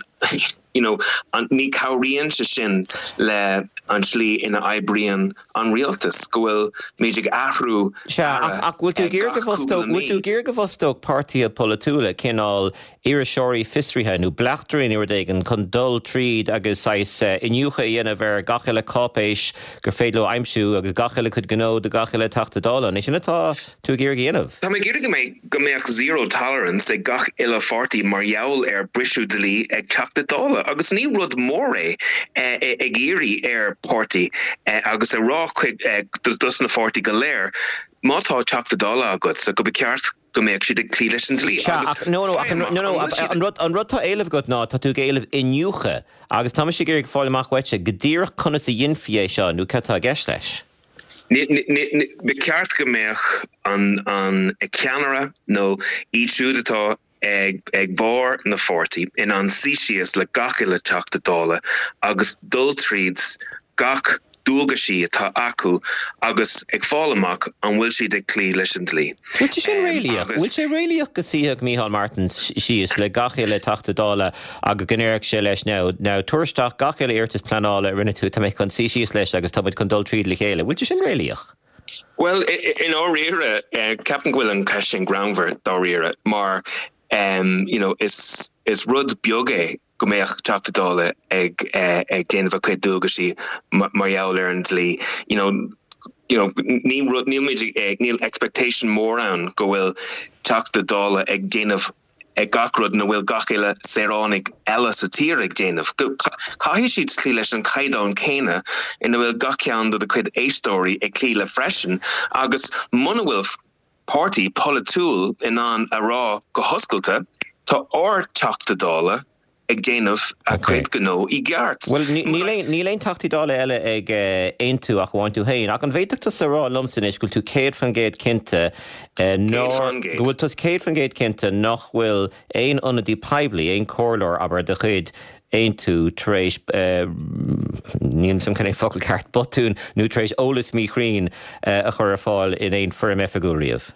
you know an ní cabhraíonn sé sin le an tslí ina oibríonn an rialtas, go bhfuil muid ag athrú Sea, ach ach bhfuil tú ag iarraidh go bhfostódh, bhfuil tú ag iarraidh go bhfostódh páirtithe polaitiúla cineál iriseoirí fiosraithe nó bleachtairí nó rud éigin chun dul tríd agus saghas iniúchadh a dhéanamh ar gach uile cáipéis gur féidir leo a aimsiú agus gach uile cuid gnó de gach uile Teachta Dála. An é sin atá tú ag iarraidh a dhéanamh? Tá mé ag iarraidh go mbeidh, go mbeadh zero tolerance ag gach uile pháirtí mar gheall ar briseadh dlí ag Teachta Dála agus ní rud mór é ag iarraidh ar pháirtí agus a rá chuig dos na pháirtí go léir má tá Teachta Dála agatsa go ba cheart go mbeadh siad ag cloí leis an dlí Sea, agus ach no, no, ach an, no, no, an rud, an rud tá á éileamh agat ná tá tú ag éileamh iniúchadh agus tá mise ag iarraidh fáil amach uaitse go díreach conas a dhéanfaí é seo nó cad tá i gceist leis. Ba cheart go mbeadh an ceannaire nó iad siúd atá ag barr na pháirtí in ann suí síos le gach uile Teachta Dála agus dul tríd gach dualgaisí atá acu agus ag fáil amach an bhfuil siad ag cloí leis an dlí. Bhfuil sé sin réalaíoch? Bhfuil sé réalaíoch go suífeadh Micheál Martin síos le gach uile Teachta Dála agus go ndéarfadh sé leis now, now tabhair isteach gach uile iarratas pleanála a rinne tú, tá mé chun suí síos leis agus tá muid chun dul tríd le chéile. Bhfuil sé sin réalaíoch? Bhuel, i ndáiríre, ceapaim go bhfuil an cheist sin greannmhar, dáiríre, mar you know, is, is rud beag é go mbeadh Teachta Dála ag ag déanamh a chuid dualgaisí mar gheall ar an dlí. You know, you know, ní rud, níl muid ag, níl expectation mór ann go bhfuil Teachta Dála ag déanamh ag gach rud ina bhfuil gach uile saoránaigh eile sa tír ag déanamh. Caithfidh siad cloí leis an chaighdeán céanna ina bhfuil gach ceann de do chuid éisteoirí ag cloí le freisin agus muna bhfuil páirtí polaitiúil in ann a rá go hoscailte, tá ár Teachta Dála ag déanamh a chuid gnó i gceart. Bhuel, níl aon Teachtaí Dála eile ag Aontú ach amháin tú féin. Ach an bhféadfadh tusa a rá liomsa anois go bhfuil tú 100% cinnte nár, go bhfuil tusa 100% cinnte nach bhfuil aon ionadaí poiblí, aon chomhairleoir, abair, de chuid Aontú tar éis, níl 'fhios a'm cén focal ceart, botún nó tar éis eolas míchruinn a chur ar fáil in aon foirm oifigiúil riamh?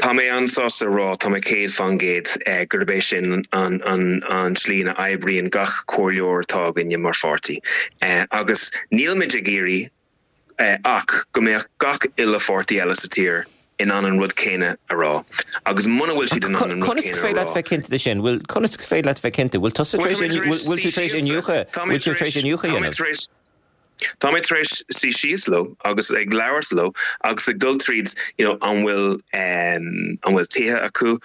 Tá mé an-sásta a rá, tá mé 100% gurb é sin an tslí ina oibríonn gach comhairleoir atá againne mar pháirtí. Agus nílimid ag iarraidh ach go mbeadh gach uile pháirtí eile sa tír in ann an rud céanna a rá. Agus muna bhfuil siad in ann an rud Conas céanna gur a féidir leat rá. bheith cinnte de sin? Bhfuil, conas gur féidir leat bheith cinnte? Bhfuil tusa tar éis, bhfuil tú tar éis iniúchadh, bhfuil tú tar éis iniúchadh a dhéanamh? Tá mé tar éis suí síos leo agus ag labhairt leo agus ag dul tríd you know an bhfuil an bhfuil tithe acu,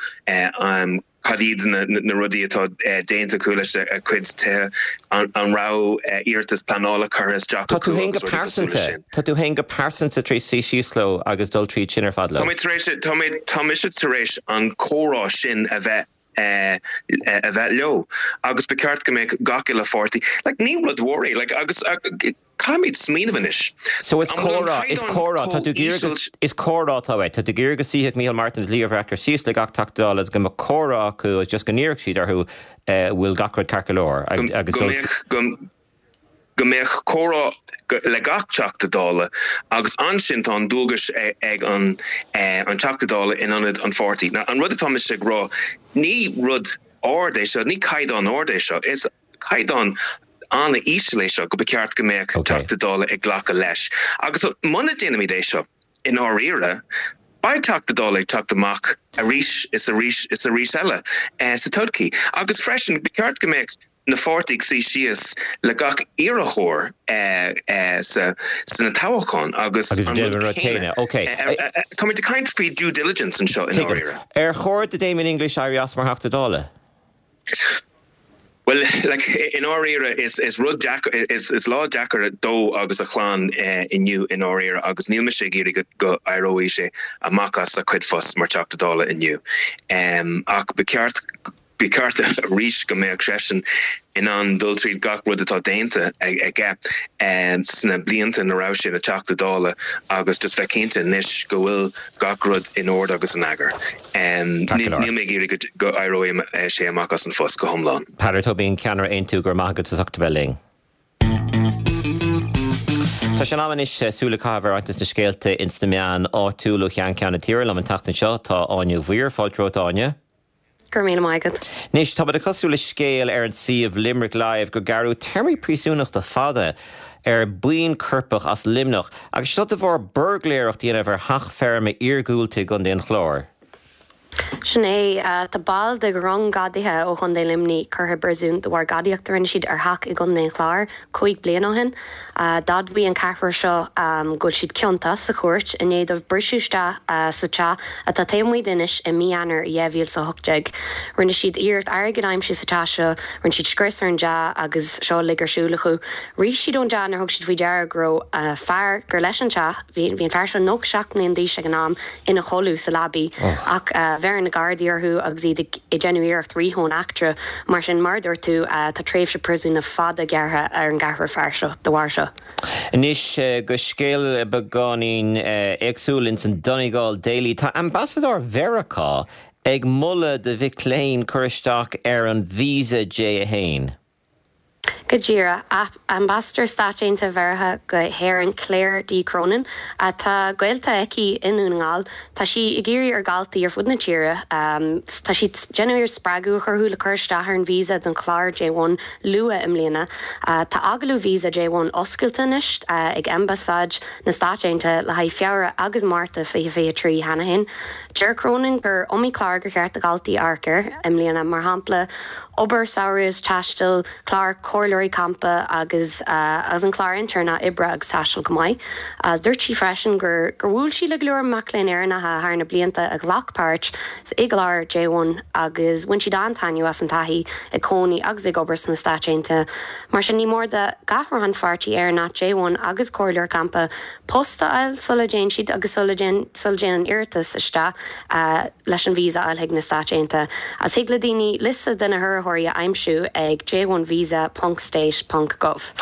cad iad na na rudaí atá déanta acu leis a cuid tithe, an raibh iarratas pleanála curtha isteach Tá tú acu féin go agus rudaí cosúil leis pearsanta, sin. tá tú féin go pearsanta tar éis suí síos leo agus dul tríd sin ar fad Tá leo? mé tar éis, tá mé, tá mise tar éis an comhrá sin a bheith a bheith leo agus ba cheart go mbeadh gach uile pháirtí, like ní rud mhór é, like agus caithfimid smaoineamh anois. So is comhrá, is comhrá, tá tú ag iarraidh go, is comhrá atá uait, tá tú ag iarraidh go suífeadh Micheál Martin agus Leo Varadkar síos le gach Teachta Dála agus go mbeadh comhrá acu agus just go n-iarrfadh siad orthu bhfuil gach rud ceart go leor agus go mbeadh, go, go mbeadh comhrá le gach Teachta Dála agus ansin tá an dualgas ag an Teachta Dála in ionad an pháirtí. Now an rud atá mise ag rá, ní rud ard é seo, ní caighdeán ard é seo, is caighdeán an-íseal é seo go ba cheart go mbeadh Teachta Dála ag glacadh leis. Agus muna déanaimid é seo, i ndáiríre, beidh Teachta Dála ag teacht amach arís is arís is arís eile sa todhchaí. Agus freisin, ba cheart go mbeadh na pháirtí ag suí síos le gach iarrthóir sna toghcháin agus an rud céanna. Táimid ag caint faoi due diligence anseo i ndáiríre. Ar chóir do Damien English éirí as mar Theachta Dála? Bhuel, like, i ndáiríre, is rud deacair, is lá deacair dó agus a chlann inniu i ndáiríre agus níl mise ag iarraidh go éireoidh sé amach as a chuid phost mar Theachta Dála inniu. Ach ba cheart. Ba cheart arís go mbeadh seisean in ann dul tríd gach rud atá déanta aige sna blianta ina raibh sé ina Theachta Dála agus just bheith cinnte anois go bhfuil gach rud in ord agus in eagar. Níl mé ag iarraidh go éireoidh sé amach as an phost go hiomlán. Peadar Tóibín, Ceannaire Aontú, go raibh maith agat as ucht a bheith linn. Tá sé in am anois súil a chaitheamh ar roinnt de na scéalta ins na meáin áitiúil ó cheann ceann na tíre. Liom an tseachtain seo tá Áine Mhaoir. Fáilte romhat, a Áine. Go raibh míle maith agat. Anois, tá muid ag tosú le scéal ar an suíomh Limerick Live gur gearradh téarmaí príosúnachta fada ar buíon coirpeach as Luimneach agus seo de bharr buirgléireacht a dhéanamh ar theach feirme iargúlta i gContae an Chláir. Sin é. Tá baill de dhrong gadaithe ó Chontae Luimnigh curtha i bpríosún de bharr gadaíocht a rinne siad ar theach i gContae an Chláir 5 bliana ó shin. D'admhaigh an ceathrar seo go bhfuil siad ciontach sa chúirt i ndiaidh dóibh briseadh isteach sa teach atá taobh amuigh d'Inis i mí Eanáir 2018. Rinne siad iarracht airgead a aimsiú sa teach seo, rinne siad scrios ar an dteach agus seo uilig ar siúl acu. Rith siad ón dteach nuair a thug siad faoi deara go raibh fear gur leis an teach. Bhí an fear seo 97 mbliana d'aois ag an am, ina chodladh sa leabaidh, ach bheir na Gardaí orthu agus iad ag déanamh iarracht rith ón eachtra. Mar sin, mar a dúirt tú, tá tréimhse príosúna fada gearrtha ar an gceathrar fear seo de bharr seo. Anois go scéal beagáinín éagsúil ins an Donegal Daily. Tá Ambasadóir Mheiriceá ag moladh do mhic léinn cur isteach ar an Visa J1. Go díreach. Ambasadóir Stáit Aontaithe Mheiriceá go hÉirinn Claire D. Cronin, tá gaolta aici i nDún na nGall. Tá sí ag iarraidh ar dhaltaí ar fud na tíre, tá sí ag déanamh iarracht spreagadh a chur orthu le cur isteach ar an visa don chlár J1 luath i mbliana. Tá agallamh visa J1 oscailte anois ag Ambasáid na Stáit Aontaithe le haghaidh Feabhra agus Márta 2023 cheana féin. Deir Cronin gur iomaí clár gur cheart do dhaltaí amharc air i mbliana, mar shampla, obair samhraidh is taistil, clár comhairleoirí campa agus agus an clár intéirneach oibre agus taistil chomh maith. Dúirt sí freisin gur gur bhuail sí le go leor mac léinn Éireannacha thar na blianta a ghlac páirt i gclár J1 agus bhain siad an-taitneamh as an taithí ag cónaí agus ag obair sna Stáit Aontaithe. Mar sin ní mór do gach rannpháirtí Éireannach J1 agus comhairleoir campa post a fháil sula dtéann siad agus sula dtéann an iarratas isteach leis an visa a fháil chuig na Stáit Aontaithe. Agus thig le daoine liosta de na hiarrthóirí a aimsiú ag j1visa ponc state ponc gov.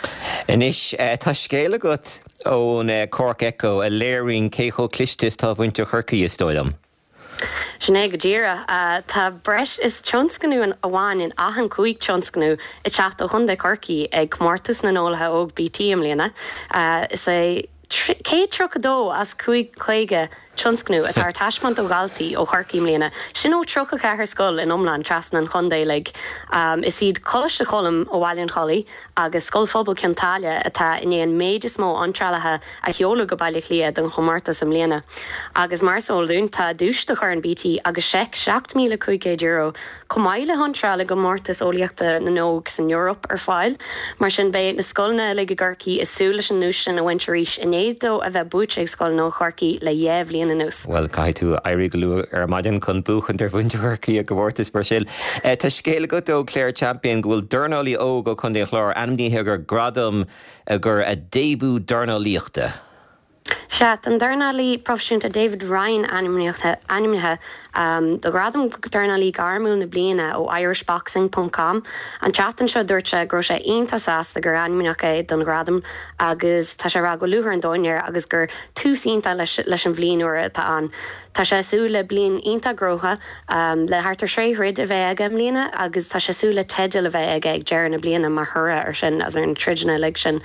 Anois, tá scéal agat ón Cork Echo a léiríonn cé chomh cliste is atá mhuintir Chorcaí, is dóigh liom. Sin é go díreach. Tá breis is tionscnamh amháin in achan 5 tionscnamh ag teacht ó Chontae Chorcaí ag Comórtas na nEolaithe Óg BT i mbliana. Is é 132 as 550 tionscnamh atá ar taispeáint ó dhaltaí ó Chorcaigh i mbliana, sin ó 34 scoil in iomlán trasna an chontae uilig. Is iad Coláiste Choilm ó Bhaile an Chollaigh agus Scoil Phobail Cionn tSáile atá i ndiaidh an méid is mó iontrálacha a sheoladh go Baile Átha Cliath don chomórtas i mbliana. Agus mar is eol dúinn, tá duais do Chorn BT agus seic €7,500, chomh maith le hiontráil i gcomórtas eolaíochta na nÓg san Eoraip ar fáil. Mar sin, beidh na scoileanna uilig i gCorcaigh ag súil leis an nduais sin a bhaint arís i ndiaidh dó a bheith buaite ag scoileanna ó Chorcaigh le dheich bhliain anuas. Bhuel, caithfidh tú éirí go luath ar maidin chun buachaint ar mhuintir Chorcaí i gcomórtas mar sin. Tá scéal agat ó Clare Champion go bhfuil dornálaí óg ó Chontae an Chláir ainmnithe do ghradam gur a début dornálaíochta. Sea, tá an dornálaí proifisiúnta David Ryan ainmnithe do ghradam Dornálaí Gairmiúil na Bliana ó Irishboxing ponc com. An tseachtain seo dúirt sé go raibh sé iontach sásta gur ainmníodh é don ghradam agus tá sé ag rá go bhfuil lúcháir an domhain air agus gur tús iontach leis an bhliain úr atá ann. Tá sé ag súil le bliain iontach gnóthach le thart ar sé throid a bheith aige i mbliana agus tá sé ag súil le teideal a bheith aige ag deireadh na bliana mar thoradh ar sin agus ar na troideanna uilig sin.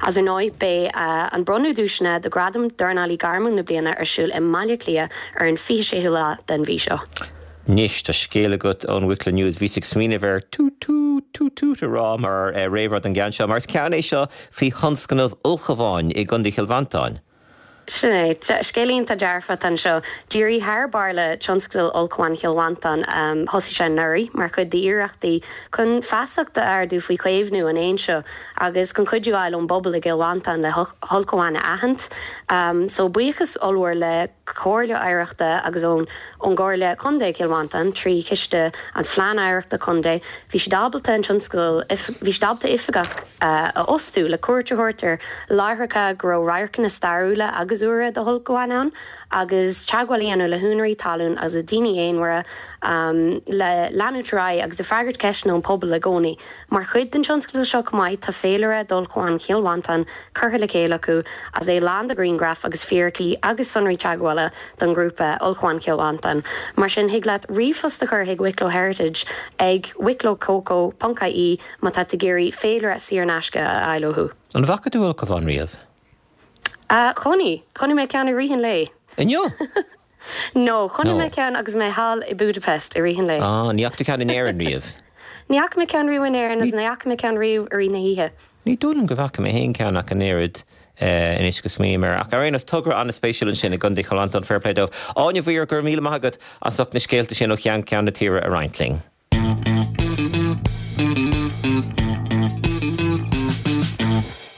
Agus ar ndóigh beidh an bronnadh duaiseanna do Ghradam Dornálaí Gairmiúil na Bliana ar siúl i mBaile Átha Cliath ar an 26ú lá den mhí seo. Anois, tá scéal agat ón Wicklow News. Bhíos ag smaoineamh ar toot toot, toot toot a rá mar réamhrá don gceann seo, mar is ceann é seo faoi thionscnamh ulchabháin i gContae Chill Mhantáin. Sin é. Scéal iontach dearfach atá anseo. D'éirigh thar barr le tionscadal Ulchabhán Chill Mhantáin. Thosaigh sé anuraidh mar chuid d'iarrachtaí chun feasacht a ardú faoi chaomhnú an éin seo agus chun cuidiú a fháil ón bpobal i gCill Mhantáin le hulchabháin a aithint. So buíochas ollmhór le Comhairle Oidhreachta agus ón gComhairle Contae Chill Mhantáin trí chiste an Phlean Oidhreachta Contae bhí siad ábalta an tionscadal, bhí siad ábalta oifigeach, a fhostú le cuairt a thabhairt ar láithreacha go raibh radharcanna stairiúla agus. agus úra de ulchabháin ann agus teagmháil a dhéanamh le húinéirí talún agus le daoine aonair le leanúint ar aghaidh agus ag freagairt ceisteanna ón pobal i gcónaí. Mar chuid den tionscadal seo chomh maith tá féilire d'ulchabháin Chill Mhantáin curtha le chéile acu agus é lán de ghrianghraif agus fíricí agus sonraí teagmhála don ghrúpa Ulchabháin Chill Mhantáin. Mar sin thig leat ríomhphost a chur chuig Wicklow Heritage ag wicklowcoco ponc ie má tá tú ag iarraidh féilire saor in aisce a fháil uathu. An bhfaca tú ulchabhán riamh? Chonaic. Chonaic mé ceann i rith an lae. Inniu? No, chonaic mé ceann agus mé thall i Budapest i rith an lae. Ah, ní fhaca tú ceann in Éirinn riamh? Ní fhaca mé ceann riamh in Éirinn agus ní fhaca mé ceann riamh i rith na hoíche. Ní dóigh liom go bhfaca mé féin ceann ach an oiread, anois go smaoiním air. Ach ar aon nós, togra an-spéisiúil ansin i gContae Chill Mhantáin, fair play dóibh. Áine Mhaoir, go raibh míle maith agat as ucht na scéalta sin ó cheann ceann na tíre a roinnt linn.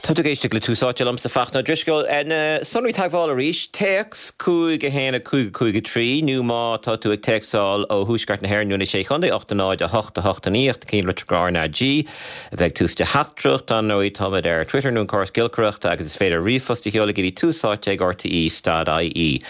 Tá tú ag éisteacht le Tús Áite liomsa, Fachtna Ó Drisceoil. Na sonraí teagmhála arís, téacs 5 1 5 5 3 nó má tá tú ag téacsáil ó Thuaisceart na hÉireann nó na Sé Chontae 8 0 8 8 9 ach na cinn litreacha R ná G a bheidh ag tús do theachtaireacht. Ar ndóigh, táimid ar Twitter nó an córas giolcaireachta agus is féidir ríomhphost a sheoladh go dtí túsáite ag rte stad ie.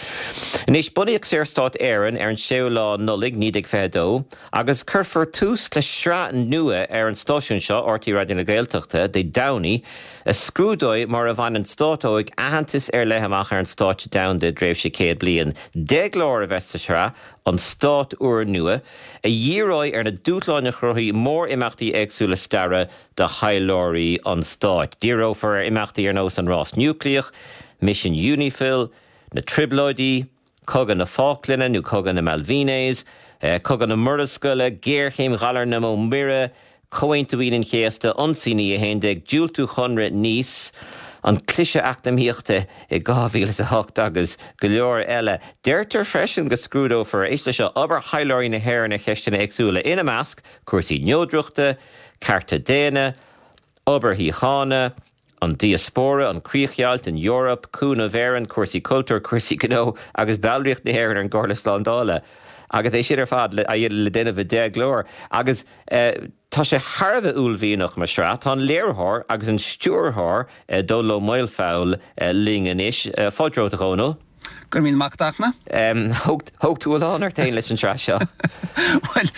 Anois, bunaíodh Saorstát Éireann ar an séú lá Nollaig 1922 agus cuirfear tús le sraith nua ar an stáisiún seo, RTÉ Raidió na Gaeltachta, Dé Domhnaigh, a scrúdóidh mar a bhain an stát óg aitheantas ar leith amach ar an stáitse domhanda i dtréimhse 100 bliain. 10 gclár a bheas sa tsraith, An Stát Úrnua, a dhíreoidh ar na dúshláin a chruthaigh mórimeachtaí éagsúla staire do thaidhleoirí an stáit. Díreofar ar imeachtaí ar nós an rás núicléach, misean Unifil, na Trioblóidí, Cogadh na Fáclainne nó Cogadh na Malvinas, Cogadh na Murascaille, géarchéim ghalar na Mbó Mire, Comhaontú Aoine an Chéasta, Ionsaí an E11, diúltú Chonradh Nice, an cliseadh eacnamaíochta i 2008 agus go leor eile. Deirtear freisin go scrúdófar, éist leis seo, obair thaidhleoirí na hÉireann ar cheisteanna éagsúla, ina measc, cúrsaí neodrachta, cearta daonna, obair shíochána, an diaspóra, an chríochdheighilt, an Eoraip, Cúnamh Éireann, cúrsaí cultúir, cúrsaí gnó agus ballraíocht na hÉireann ar an gComhairle Slándála. Agus é sin ar fad le déanamh i 10 gclár. Agus tá sé thar a bheith uaillmhianach mar shraith. Tá an léiritheoir agus an stiúrthóir, Dónall Ó Maolfabhail, linn anois. Fáilte romhat, a Dhónaill. Go raibh míle maith agat, a Fhachtna. Thóg tú a lán ort féin leis an tsraith seo. Bhuel,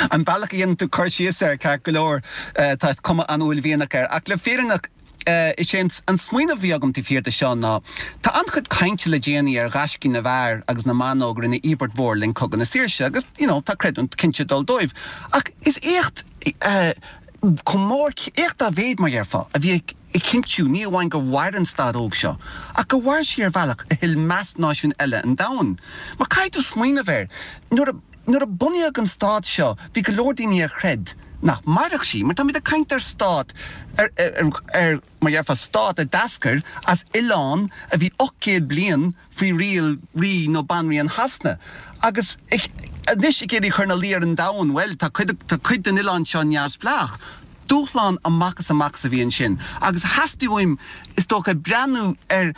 an bealach a dhéanann tú cur síos air, ceart go leor, tá cuma an-uaillmhianach air. Ach le fírinne, is é an smaoineamh a bhí agam taobh thiar de seo ná, tá an-chuid cainte le déanaí ar ghaiscí na bhfear agus na mban óg a rinne íobairt mhór le linn Cogadh na Saoirse agus, you know, tá creidiúint cinnte ag dul dóibh. Ach is éacht chomh mór, éacht dá mhéad, mar dhéarfá, a bhí ag. ag cinntiú ní amháin gur mhair an staid óg seo, ach gur mhair sí ar bhealach a thuill meas náisiúin eile an domhain. Mar caithfidh tú smaoineamh air, nuair a, nuair a bunaíodh an stát seo, bhí go leor daoine a chreid nach mairfeadh sí, mar táimid ag caint ar stát, ar, ar, ar, mar dhéarfá, stát a d'eascair as oileán a bhí 800 bliain faoi riail Rí nó Banríon Shasana. Agus anois ag iarraidh cur ina luí ar an domhan, bhuel, tá cuid, tá cuid den oileán seo neamhspleách. Dúshlán amach is amach a bhí ansin. Agus theastaigh uaim, is dócha, breathnú ar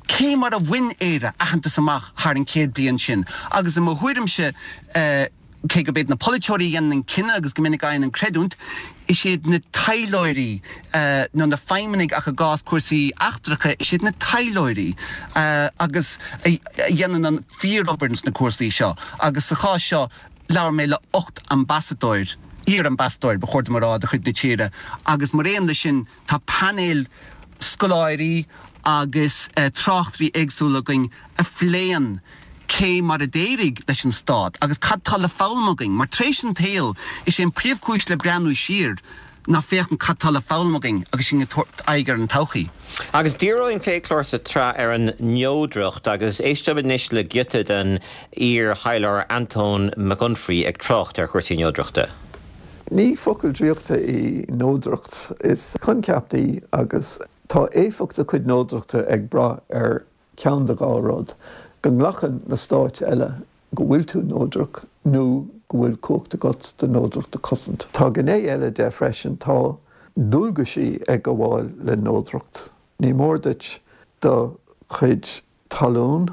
cé mar a bhain Éire aitheantas amach thar an 100 bliain sin. Agus i mo thuairimse, Cé gurb iad na polaiteoirí a dhéanann an cinneadh agus go minic a fhaigheann an creidiúint, is iad na taidhleoirí, nó na feidhmeannaigh ach i gcás cúrsaí eachtracha, is iad na taidhleoirí agus a dhéanann an fíorobair sna cúrsaí seo. Agus sa chás seo, labhair mé le 8 ambasadóir, iar-ambasadóir ba chóir dom a rá, de chuid na tíre agus mar aon leis sin tá painéal scoláirí agus tráchtairí éagsúla againn a phléann cé mar a d'éirigh leis an stát agus cad tá le foghlaim againn, mar tar éis an tsaoil, is é an príomhchúis le breathnú siar ná féachaint cad tá le foghlaim againn agus sinn ag tabhairt aghaidh ar an todhchaí. Agus díreoidh an chéad chlár sa tsraith ar an neodracht agus éisteoimid anois le giota den iar-thaidhleoir Antóin Mac Unfraidh ag trácht ar chúrsaí neodrachta. Ní focal draíochta í neodracht, is coincheap í agus tá éifeacht do chuid neodrachta ag brath ar cheann de dhá rud, go nglacann na stáit eile go bhfuil tú neodrach nó go bhfuil cumhacht agat do neodracht a chosaint. Tá gné eile de freisin, tá dualgaisí ag gabháil le neodracht. Ní mór duit do chuid talún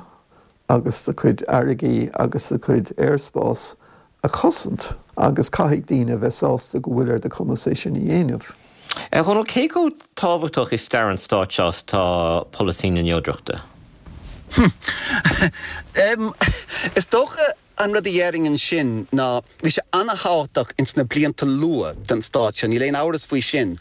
agus do chuid fharraigí agus do chuid aerspás a chosaint agus caithfidh daoine a bheith sásta go bhfuil ar do chumas é sin a dhéanamh. A Dhónaill, cé chomh tábhachtach i stair an stáit seo is atá polasaí na neodrachta? Is dócha an rud a dhéarfainn ansin ná bhí sé ana-thábhachtach ins na blianta luath den stát seo, níl aon amhras faoi sin.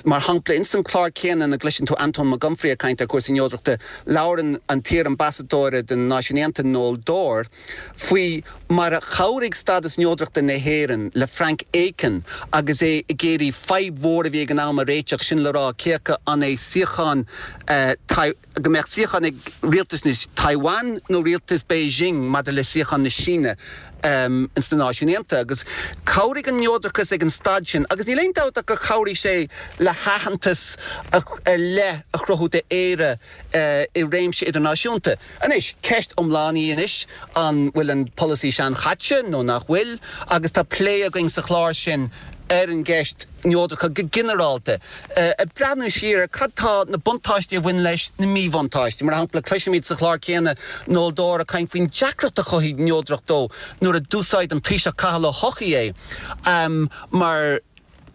Mar shampla, ins an clár céanna ina gcloiseann tú Antóin Mac Unfraidh ag caint ar chúrsaí neodrachta, labhrann an t-iar-ambasadóir de na Náisiúin Aontaithe, Noel Dorr, faoi mar a chabhraigh stádas neodrachta na hÉireann le Frank Aiken agus é ag iarraidh fadhb mhór a bhí ag an am a réiteach, sin le rá cé acu an é suíochán go mbeadh suíochán ag rialtas na Taiwan nó rialtas Beijing maidir le suíochán na Síne ins na Náisiúin Aontaithe agus chabhraigh an neodrachas ag an staid sin agus níl aon dabht ach gur chabhraigh sé le haitheantas ar leith a chruthú d'Éire i réimse idirnáisiúnta. Anois, ceist iomlán í anois an bhfuil an polasaí seanchaite nó nach bhfuil agus tá plé againn sa chlár sin ar an gceist neodrachta go ginearálta, ag breathnú siar ar cad tá na buntáistí a bhain leis, na míbhuntáistí. Mar shampla, cloisimid sa chlár céanna Noel Dorr ag caint faoin deacracht a chothaigh neodracht dó nuair a d'úsáid an Taoiseach Cathal Ó hEochaidh é mar,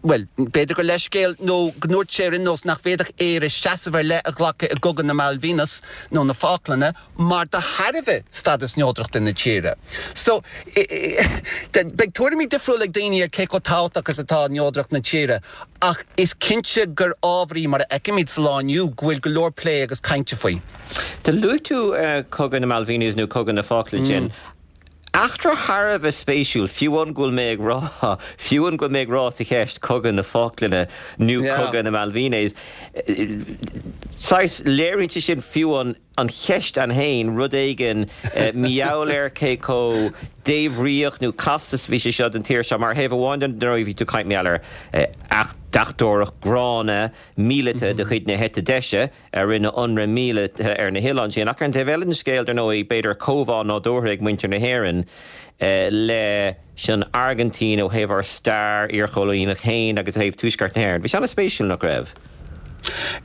bhuel, b'fhéidir gur leithscéal nó go ndúirt sé ar aon nós nach bhféadfadh Éire seasamh ar leith a ghlacadh i gCogadh na Malvinas nó na Fáclainne mar de thairbhe stádas neodrachta na tíre. So, beidh tuairimí difriúla ag daoine ar cé chomh tábhachtach is atá neodracht na tíre ach is cinnte gur ábhar í, mar a fheicimid sa lá inniu, go bhfuil go leor plé agus cainte faoi. Do luaigh tú Cogadh na Malvinas nó Cogadh na Fáclainne ansin. Eachtra thar a bheith spéisiúil, fiú amháin go bhfuil mé ag rá, fiú amháin go bhfuil mé ag rá sa cheist Cogadh na Fáclainne nó Cogadh na Malvinas. Saghas, léiríonn sé sin fiú amháin an cheist ann féin, rud éigin mar gheall ar cé chomh débhríoch nó casta is a bhí sé seo don tír seo. Mar thaobh amháin den, dar ndóigh, bhí tú ag caint mar gheall ar deachtóireacht gránna míleata de chuid na heite deise, a rinne ionradh míleata ar na hoileáin sin. Ach ar an taobh eile den scéal, dar ndóigh, b'fhéidir comhbhá nádúrtha ag muintir na hÉireann leis an Airgintín ó thaobh ár stair iarchoilíneach féin agus ó thaobh Tuaisceart na hÉireann. Bhí sé an-spéisiúil, nach raibh?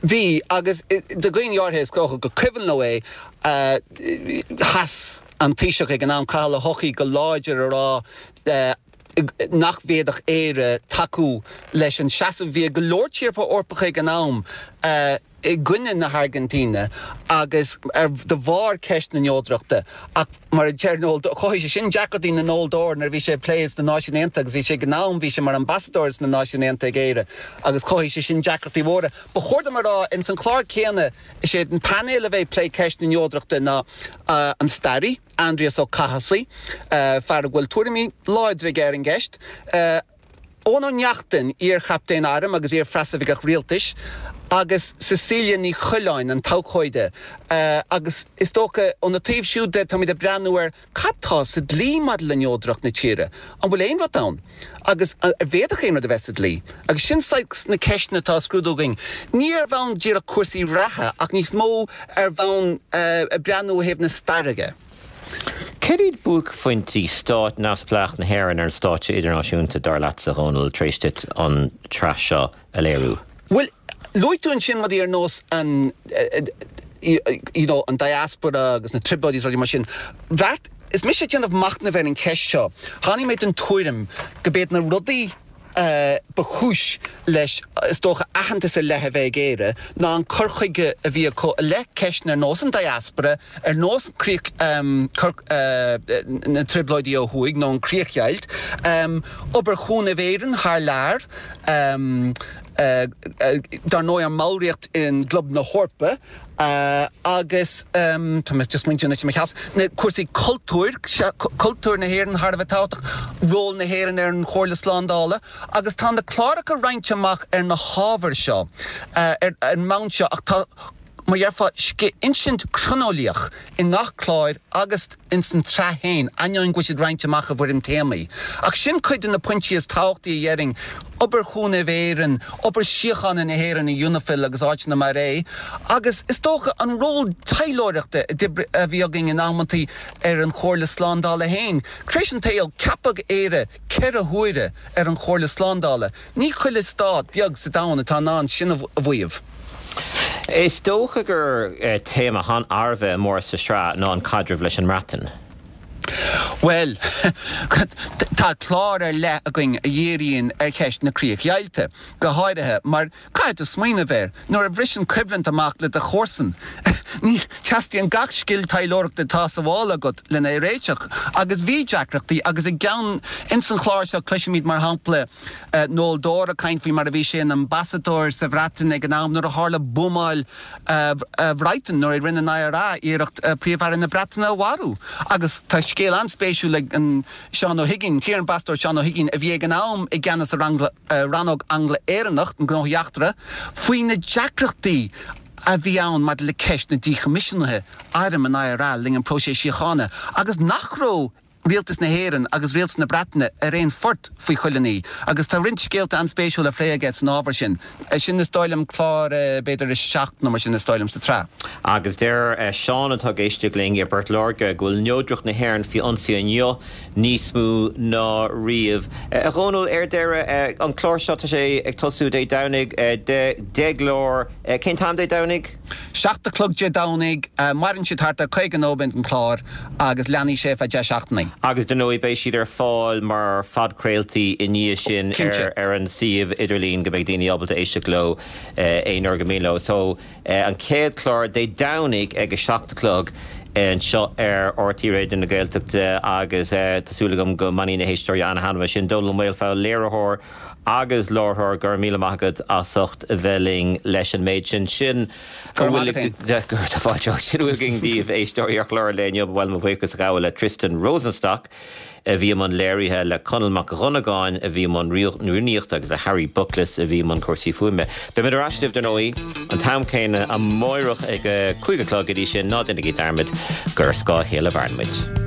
Bhí, agus do dhaoine áirithe is dócha gur cuimhin leo é, sheas an Taoiseach ag an am, Cathal Ó hEochaidh, go láidir a rá nach bhféadfadh Éire tacú leis an seasamh a bhí ag go leor tíortha Eorpacha ag an am i gcoinne na hAirgintíne agus ar de bharr ceist na neodrachta. Ach mar a deir Noel, chothaigh sé sin deacrachtaí do Noel Dorr nuair a bhí sé ag plé sna Náisiúin Aontaithe agus bhí sé ag an am, bhí sé mar ambasadóir sna Náisiúin Aontaithe ag Éire agus chothaigh sé sin deacrachtaí mhóra. Ba chóir dom a rá, ins an chlár céanna, is é an painéal a bheidh ag plé ceist na neodrachta ná an staraí, Aindrias Ó Cathasaigh, fear a bhfuil tuairimí láidre aige ar an gceist, Eoin Ó Neachtain, iar-chaptaen airm agus iar-phreasoifigeach rialtais, agus Cecilia Ní Choileáin, an t-abhcóide. Agus is dócha, óna taobh siúd de, táimid ag breathnú ar cad tá sa dlí maidir le neodracht na tíre. An bhfuil aon rud ann? Agus an bhféadfadh aon rud a bheith sa dlí? Agus sin saghas na ceisteanna atá á scrúdú againn. Ní ar bhonn díreach cúrsaí reatha ach níos mó ar bhonn ag breathnú ó thaobh na staire de. Céard iad buaicphointí stát neamhspleách na hÉireann ar an stáitse idirnáisiúnta, dar leatsa, a Dhónaill, tar éis duit an tsraith seo a léiriú? Bhuel, luaigh tú ansin rudaí ar nós an, you know, an diaspora agus na trioblóidí is rudaí mar sin. Bheart, is mise ag déanamh machnaimh ar an cheist seo, tháinig mé den tuairim go b'iad na rudaí ba chúis leis, is dócha, aitheantas ar leith a bheith ag Éire ná an cur chuige a bhí acu i leith ceisteanna ar nós an diaspora, ar nós críoch, na trioblóidí ó thuaidh nó an chríochdheighilt, obair Chúnamh Éireann thar lear. Dar ndóigh, ár mballraíocht i gClub na hEorpa agus, tá mé just smaointiú anois i mo sheasamh, na cúrsaí cultúir, cultúr na hÉireann thar a bheith tábhachtach, ról na hÉireann ar an Chomhairle Slándála agus tá na cláracha roinnte amach ar na hábhair seo, ar an mbonn seo ach tá, mar dhéarfá, insint chroineolaíoch i ngach clár agus ins an tsraith féin, ainneoin go bhfuil siad roinnte amach i bhfoirm téamaí. Ach sin cuid de na pointí is tábhachtaí a dhéarfainn, obair Chúnamh Éireann, obair síochána na hÉireann i Unifil agus áiteanna mar é, agus is dócha an ról taidhleoireachta a bhí againn in amantaí ar an Chomhairle Slándála féin. Tar éis an tsaoil, ceapadh Éire 4 huaire ar an Chomhairle Slándála. Ní chuile stát beag sa domhan atá in ann sin a mhaíomh. Is dócha gur téama thar a bheith mór sa sraith ná an caidreamh leis an mBreatain. Bhuel, tá clár ar leith againn a dhíríonn ar cheist na críochdheighilte, go háirithe, mar caithfidh tú smaoineamh air, nuair a bhriseann coimhlint amach le do chomharsan, ní, teastaíonn gach scil taidhleoireachta atá sa mhála agat lena réiteach. Agus bhí deacrachtaí, agus i gceann, ins an chlár seo cloisfimid, mar shampla, Noel Dorr ag caint faoi mar a bhí sé ina ambasadóir sa Bhreatain ag an am nuair a tharla buamáil Bhrighton, nuair a rinne an IRA iarracht Príomh-Aire na Breataine a mharú. Agus tá scéal an-spéisiúil ag Seán Ó hUiginn, an t-iar-ambasadóir Seán Ó hUiginn, a bhí ag an am i gceannas ar Rannóg Angla-Éireannach Gnóthaí Eachtracha, faoi na deacrachtaí a bhí ann maidir le ceist na díchoimisiúnaithe airm an IRA le linn an próiseas síochána agus nach raibh Rialtas na hÉireann agus Rialtas na Breataine ar aon phort faoi chuile ní agus tá roinnt scéalta an-spéisiúil á phlé aige san ábhar sin. Sin is dóigh liom clár b'fhéidir a 7 nó mar sin is dóigh liom sa tsraith. Agus deir Seán atá ag éisteacht linn i bPort Láirge go bhfuil neodracht na hÉireann faoi ionsaí inniu níos mó ná riamh. A Dhónaill, ar deireadh, an clár seo tá sé ag tosú Dé Domhnaigh, 10 gclár, cén t-am Dé Domhnaigh? 7 a chlog Dé Domhnaigh, maireann siad thart ar 50 nóiméad an clár agus leanfaidh sé ar feadh 10 seachtainí. Agus dar ndóigh beidh siad ar fáil mar phodchraoltaí i ndiaidh sin ar an suíomh idirlín go mbeidh daoine ábalta éisteacht leo aon uair gur mian leo. So an chéad chlár Dé Domhnaigh ag a 7 a chlog anseo ar RTÉ Raidió na Gaeltachta agus tá súil agam go mbainfidh na héisteoirí an-thaitneamh as sin. Dónal Ó Maolfabhail, léiritheoir agus láithreoir, go raibh míle maith agat as ucht a bheith linn leis an méid sin. Sin a bhfuil againn daoibh, éisteoirí, ar chlár an lae inniu. Ba mhaith liom mo bhuíochas a ghabháil le Tristan Rosenstock a bhí i mbun léirithe, le Conall Mac Dhonnagáin a bhí i mbun rúnaíochta agus le Harry Bucklis a bhí i mbun cúrsaí fuaime. Beimid ar ais libh, dar ndóigh, an t-am céanna amáireach ag a 5 a chlog. Go dtí sin, ná déanaigí dearmad gur ar scáth a chéile a mhaireann muid.